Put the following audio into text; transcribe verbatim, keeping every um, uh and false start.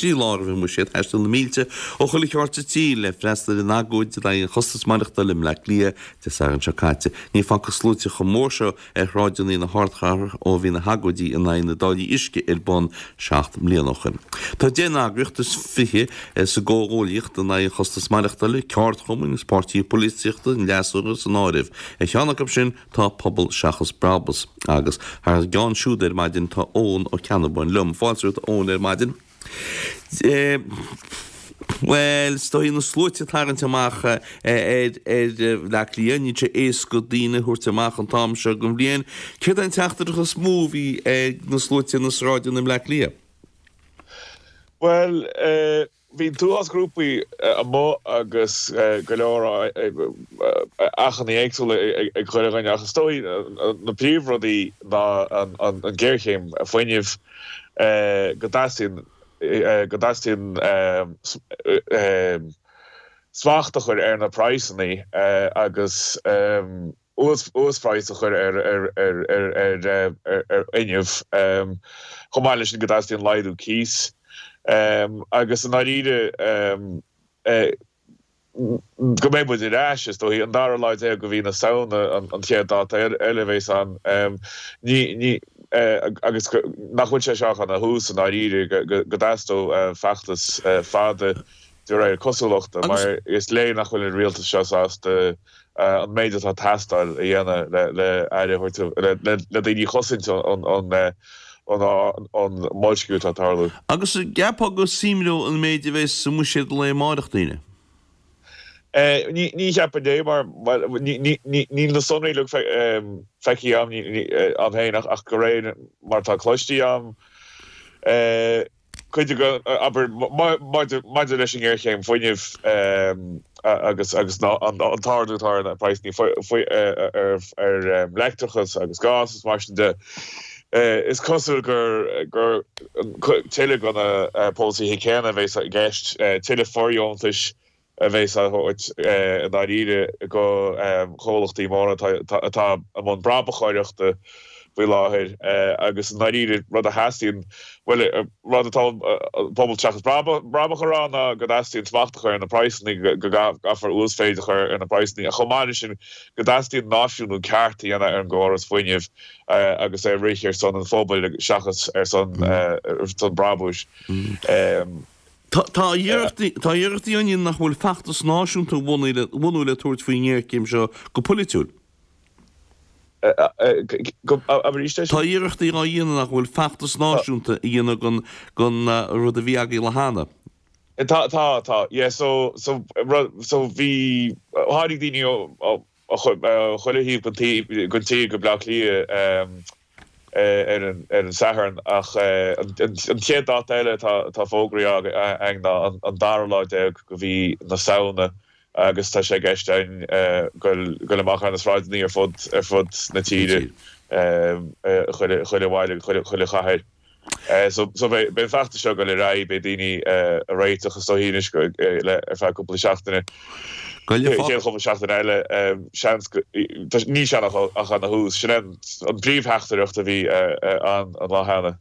trí lá roimh an mbuiséad, thaistil na mílte ó chuile cheard sa tír le freastal ar an agóid in aghaidh an chostas maireachtála i mBleá Cliath Dé Sathairn seo caite. Ní facthas sluaite chomh mór seo ar shráideanna na hardchathrach ó bhí na hagóidí in aghaidh na dtáillí uisce ar bun seacht mbliana ó shin. Tá deich n-eagraíocht is fiche sa gcomhghuaillíocht in aghaidh an chostas maireachtála, ceardchumainn agus páirtithe polaitíochta an fhreasúra san áireamh. Ar cheann acu sin tá Pobal Seachas Brabús agus thar a gceann siúd ar maidin tá Eoin Ó Ceannabháin liom. Fáilte romhat Eoin ar maidin. Bhuel, is dóigh na sluaite ag tarraingt amach ar ar Bhleá Cliath, níl sé éasca daoine a thabhairt amach an t-am seo den bhliain. Céard é an teachtaireacht is mó a bhí ag na sluaite ar na sráideanna i mBleá Cliath? Bhuel, bhí an t-uafás grúpaí amuigh agus go leor achainí éagsúla ag chuile dhuine ach is dóigh na príomhrudaí ná an ghéarchéim fuinnimh, go dteastaíonn go dteastaíonn smacht a chur ar na praghsanna agus uasphraghas a chur ar fhuinneamh, chomh maith leis sin go dteastaíonn laghdú cíos. Agus i ndáiríre go mbeidh muid ar ais, is dóigh, an dara lá déag de mhí na Samhna an chéad dáta eile a bheas ann, ní agus nach bhfuil sé seo ach ina thús i ndáiríre, go dteastódh feachtas fada de réir cosúlachta, mar is léir nach bhfuil an rialtas seo sásta an méid atá ag teastáil a dhéanamh le aire a thabhairt, le daoine a chosaint ón mboilsciú atá ag tarlú. Agus an gceapfá go suimreodh an méid a bheas sa mbuiséad an lae amárach daoine? Ní cheapaim é mar níl na sonraí uilig feicthe agam féin ach de réir mar atá cloiste agam, cuid de, abair, maidir leis an ngéarchéim fuinnimh agus an t-ardú atá ar na praghsanna ar leictreachas agus gás is mar sin de, is cosúil gur tuilleadh de na polasaithe céanna a bheas i gceist, tuilleadh fóirdheontais a bheas á thabhairt i ndáiríre go chomhlachtaí móra atá i mbun brabachóireachta faoi láthair agus i ndáiríre rud a theastaíonn, bhuel, rud atá Pobal Seachas Brabach a rá ná go dteastaíonn smacht a chur ar na praghsanna, go gcaithfear uasmhéid a chur ar na praghsanna ach chomh maith leis sin go dteastaíonn náisiúnú ceart a dhéanamh ar an gcóras fuinnimh agus é a rith ar son an phobail seachas ar son brabúis. Tá iarrachtaí á dhéanamh nach bhfuil feachtas náisiúnta a bhunú le tabhairt faoin ngéarchéim seo go polaitiúil. Tá iarrachtaí á dhéanamh nach bhfuil feachtas náisiúnta a dhéanamh den rud a bhí agaibh le cheana. Tá, tá, tá. Yeah, so, so, so bhí, tháinig daoine ó chuile thaobh den tír go Bleá Cliath ar an Satharn ach an chéad dáta eile atá fógraithe againn ná an dara lá déag de mhí na Samhna agus tá sé i gceist againn goil amach ar na sráideanna ar fud ar fud na tíre, chuile bhaile, chuile chathair. So so beidh an feachtas seo ag goil ar aghaidh, beidh daoine ag réiteach is dóigh anois ar feadh cúpla seachtaine. Chéad chúpla seachtain eile, seans go, níl sé ach ina thús. Sin é an príomhtheachtaireacht a bhí ann an lá cheana.